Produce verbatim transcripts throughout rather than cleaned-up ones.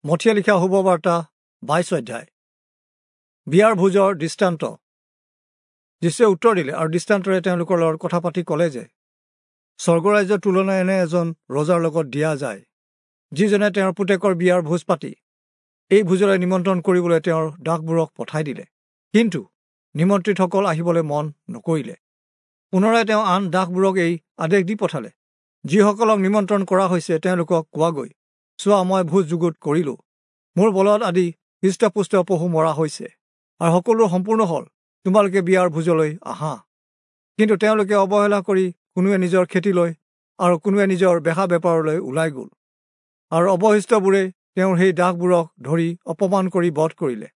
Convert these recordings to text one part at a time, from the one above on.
মথিয়ে লিখা শুভবাৰ্তা বাইশ অধ্যায়। বিয়াৰ ভোজৰ দৃষ্টান্ত। যীচুৱে উত্তৰ দিলে আৰু দৃষ্টান্তৰে তেওঁলোকৰ লগত কথা পাতি ক'লে যে স্বৰ্গৰাজ্যৰ তুলনা এনে এজন ৰজাৰ লগত দিয়া যায়, যিজনে তেওঁৰ পুতেকৰ বিয়াৰ ভোজ পাতি এই ভোজলৈ নিমন্ত্ৰণ কৰিবলৈ তেওঁৰ দাসবোৰক পঠাই দিলে। কিন্তু নিমন্ত্ৰিতসকল আহিবলৈ মন নকৰিলে। পুনৰাই তেওঁ আন দাসবোৰক এই আদেশ দি পঠালে, যিসকলক নিমন্ত্ৰণ কৰা হৈছে তেওঁলোকক কোৱাগৈ, চোৱা, মই ভোজ যুগুত কৰিলোঁ, মোৰ বলদ আদি হৃষ্টপুষ্ট পশু মৰা হৈছে আৰু সকলো সম্পূৰ্ণ হ'ল, তোমালোকে বিয়াৰ ভোজলৈ আহা। কিন্তু তেওঁলোকে অৱহেলা কৰি কোনোৱে নিজৰ খেতিলৈ আৰু কোনোৱে নিজৰ বেহা বেপাৰলৈ ওলাই গ'ল, আৰু অৱশিষ্টবোৰে তেওঁৰ সেই দাসবোৰক ধৰি অপমান কৰি বধ কৰিলে।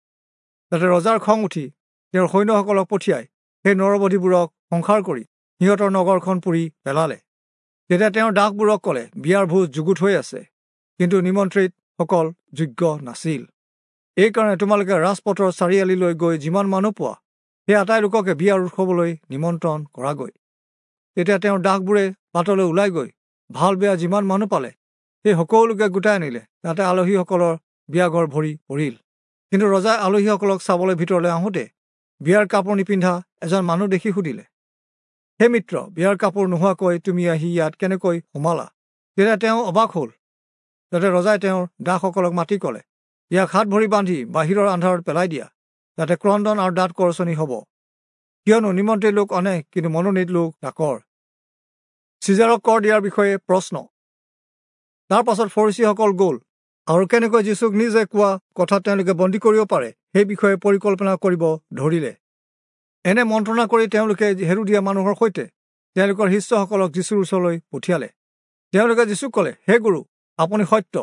তাতে ৰজাৰ খং উঠি তেওঁৰ সৈন্যসকলক পঠিয়াই সেই নৰবধীবোৰক সংসাৰ কৰি সিহঁতৰ নগৰখন পুৰি পেলালে। তেতিয়া তেওঁৰ দাসবোৰক ক'লে, বিয়াৰ ভোজ যুগুত হৈ আছে, কিন্তু নিমন্ত্ৰিতসকল যোগ্য নাছিল। এইকাৰণে তোমালোকে ৰাজপথৰ চাৰিআলিলৈ গৈ যিমান মানুহ পোৱা সেই আটাই লোককে বিয়াৰ উৎসৱলৈ নিমন্ত্ৰণ কৰাগৈ। তেতিয়া তেওঁৰ দাসবোৰে বাটলৈ ওলাই গৈ ভাল বেয়া যিমান মানুহ পালে সেই সকলোকে গোটাই আনিলে। তাতে আলহীসকলৰ বিয়াঘৰ ভৰি পৰিল। কিন্তু ৰজাই আলহীসকলক চাবলৈ ভিতৰলৈ আহোঁতে বিয়াৰ কাপোৰ নিপিন্ধা এজন মানুহ দেখি সুধিলে, হে মিত্ৰ, বিয়াৰ কাপোৰ নোহোৱাকৈ তুমি আহি ইয়াত কেনেকৈ সোমালা? তেতিয়া তেওঁ অবাক হ'ল। তাতে ৰজাই তেওঁৰ দাসসকলক মাতি ক'লে, ইয়াক হাত ভৰি বান্ধি বাহিৰৰ আন্ধাৰত পেলাই দিয়া, তাতে ক্ৰন্দন আৰু দাঁত কৰচনি হ'ব। কিয়নো নিমন্ত্ৰিত লোক অনেক, কিন্তু মনোনীত লোক তাকৰ। চিজাৰক কৰ দিয়াৰ বিষয়ে প্ৰশ্ন। তাৰ পাছত ফৰীচীসকল গ'ল আৰু কেনেকৈ যীচুক নিজে কোৱা কথা তেওঁলোকে বন্দী কৰিব পাৰে সেই বিষয়ে পৰিকল্পনা কৰিব ধৰিলে। এনে মন্ত্ৰণা কৰি তেওঁলোকে হেৰুদীয়া মানুহৰ সৈতে তেওঁলোকৰ শিষ্যসকলক যীচুৰ ওচৰলৈ পঠিয়ালে। তেওঁলোকে যীচুক ক'লে, হে গুৰু, আপুনি সত্য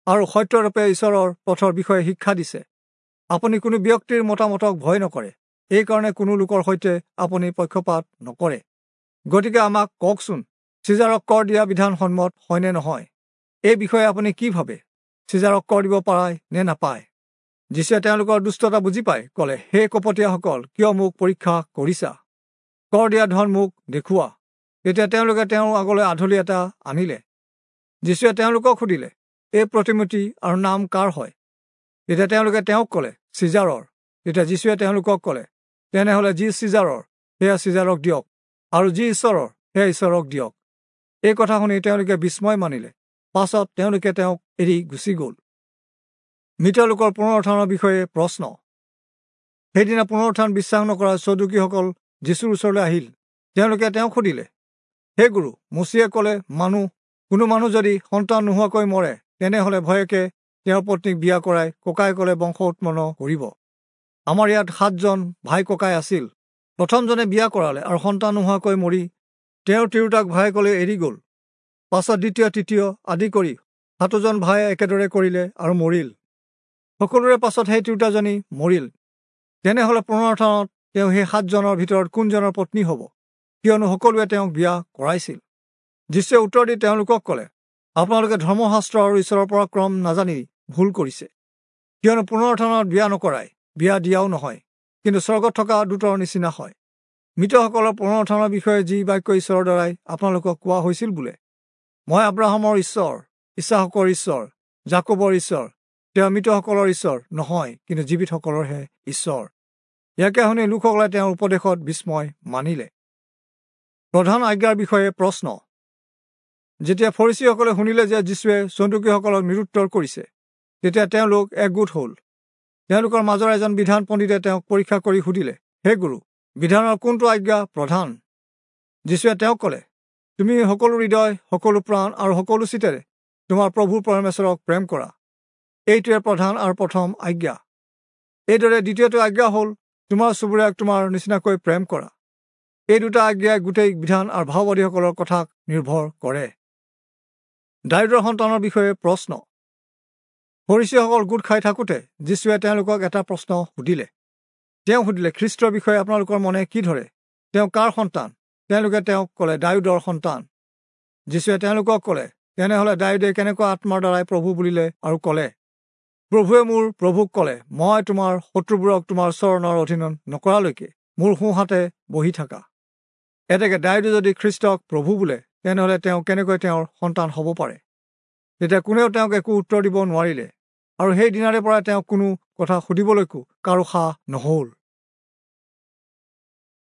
আৰু সত্যৰূপে ঈশ্বৰৰ পথৰ বিষয়ে শিক্ষা দিছে। আপুনি কোনো ব্যক্তিৰ মতামতক ভয় নকৰে, এইকাৰণে কোনো লোকৰ সৈতে আপুনি পক্ষপাত নকৰে। গতিকে আমাক কওকচোন, চিজাৰক কৰ দিয়া বিধানসন্মত হয়নে নহয়? এই বিষয়ে আপুনি কি ভাবে? চিজাৰক কৰ দিব পায় নে নাপায়? যীচুৱে তেওঁলোকৰ দুষ্টতা বুজি পাই ক'লে, হে কপটীয়াসকল, কিয় মোক পৰীক্ষা কৰিছা? কৰ দিয়া ধন মোক দেখুওৱা। তেতিয়া তেওঁলোকে তেওঁৰ আগলৈ আধলি এটা আনিলে। যীচুৱে তেওঁলোকক সুধিলে, এই প্ৰতিমূৰ্তি আৰু নাম কাৰ হয়? তেতিয়া তেওঁলোকে তেওঁক ক'লে, চিজাৰৰ। তেতিয়া যীচুৱে তেওঁলোকক ক'লে, তেনেহ'লে যি চিজাৰৰ সেয়া চিজাৰক দিয়ক, আৰু যি ঈশ্বৰৰ সেয়া ঈশ্বৰক দিয়ক। এই কথা শুনি তেওঁলোকে বিস্ময় মানিলে। পাছত তেওঁলোকে তেওঁক এৰি গুচি গ'ল। মৃত লোকৰ পুনৰুত্থানৰ বিষয়ে প্ৰশ্ন। সেইদিনা পুনৰুত্থান বিশ্বাস নকৰা চদুকীসকল যীচুৰ ওচৰলৈ আহিল। তেওঁলোকে তেওঁক সুধিলে, হে গুৰু, মোচিয়ে ক'লে, মানুহ কোনো মানুহ যদি সন্তান নোহোৱাকৈ মৰে, তেনেহ'লে ভয়েকে তেওঁৰ পত্নীক বিয়া কৰাই ককায়েকলে বংশ উৎপন্ন কৰিব। আমাৰ ইয়াত সাতজন ভাই ককাই আছিল। প্ৰথমজনে বিয়া কৰালে আৰু সন্তান নোহোৱাকৈ মৰি তেওঁৰ তিৰোতাক ভায়েকলৈ এৰি গ'ল। পাছত দ্বিতীয়, তৃতীয় আদি কৰি সাতোজন ভায়ে একেদৰে কৰিলে আৰু মৰিল। সকলোৰে পাছত সেই তিৰোতাজনী মৰিল। তেনেহ'লে পুনৰুত্থানত তেওঁ সেই সাতজনৰ ভিতৰত কোনজনৰ পত্নী হ'ব? কিয়নো সকলোৱে তেওঁক বিয়া কৰাইছিল। যীচুৱে উত্তৰ দি তেওঁলোকক ক'লে, আপোনালোকে ধৰ্মশাস্ত্ৰ আৰু ঈশ্বৰৰ পৰাক্ৰম নাজানি ভুল কৰিছে। কিয়নো পুনৰুত্থানত বিয়া নকৰাই, বিয়া দিয়াও নহয়, কিন্তু স্বৰ্গত থকা দূতৰ নিচিনা হয়। মৃতসকলৰ পুনৰুত্থানৰ বিষয়ে যি বাক্য ঈশ্বৰৰ দ্বাৰাই আপোনালোকক কোৱা হৈছিল বোলে, মই আব্ৰাহামৰ ঈশ্বৰ, ইছাহকৰ ঈশ্বৰ, যাকোবৰ ঈশ্বৰ, তেওঁ মৃতসকলৰ ঈশ্বৰ নহয়, কিন্তু জীৱিতসকলৰহে ঈশ্বৰ। ইয়াকে শুনি লোকসকলে তেওঁৰ উপদেশত বিস্ময় মানিলে। প্ৰধান আজ্ঞাৰ বিষয়ে প্ৰশ্ন। যেতিয়া ফৰীচীসকলে শুনিলে যে যীচুৱে চন্দুকীসকলক নিৰুত্তৰ কৰিছে, তেতিয়া তেওঁলোক একগোট হ'ল। তেওঁলোকৰ মাজৰ এজন বিধান পণ্ডিতে তেওঁক পৰীক্ষা কৰি সুধিলে, হে গুৰু, বিধানৰ কোনটো আজ্ঞা প্ৰধান? যীচুৱে তেওঁক ক'লে, তুমি সকলো হৃদয়, সকলো প্ৰাণ আৰু সকলো চিতেৰে তোমাৰ প্ৰভু পৰমেশ্বৰক প্ৰেম কৰা। এইটোৱে প্ৰধান আৰু প্ৰথম আজ্ঞা। এইদৰে দ্বিতীয়টো আজ্ঞা হ'ল, তোমাৰ চুবুৰীয়াক তোমাৰ নিচিনাকৈ প্ৰেম কৰা। এই দুটা আজ্ঞাই গোটেই বিধান আৰু ভাওবাদীসকলৰ কথাক নিৰ্ভৰ কৰে। দায়ূদৰ সন্তানৰ বিষয়ে প্ৰশ্ন। ফৰীচীসকল গোট খাই থাকোঁতে যীচুৱে তেওঁলোকক এটা প্ৰশ্ন সুধিলে। তেওঁ সুধিলে, খ্ৰীষ্টৰ বিষয়ে আপোনালোকৰ মনে কি ধৰে? তেওঁ কাৰ সন্তান? তেওঁলোকে তেওঁক ক'লে, দায়ূদৰ সন্তান। যীচুৱে তেওঁলোকক ক'লে, তেনেহ'লে দায়ূদে কেনেকুৱা আত্মাৰ দ্বাৰাই প্ৰভু বুলিলে আৰু ক'লে, প্ৰভুৱে মোৰ প্ৰভুক ক'লে, মই তোমাৰ শত্ৰুবোৰক তোমাৰ চৰণৰ অধীনত নকৰালৈকে মোৰ সোঁহাতে বহি থাকা। এতেকে দায়ূদে যদি খ্ৰীষ্টক প্ৰভু বোলে, তেনেহ'লে তেওঁ কেনেকৈ তেওঁৰ সন্তান হ'ব পাৰে? তেতিয়া কোনেও তেওঁক একো উত্তৰ দিব নোৱাৰিলে। আৰু সেই দিনাৰে পৰাই তেওঁক কোনো কথা সুধিবলৈকো কাৰো সাহ নহল।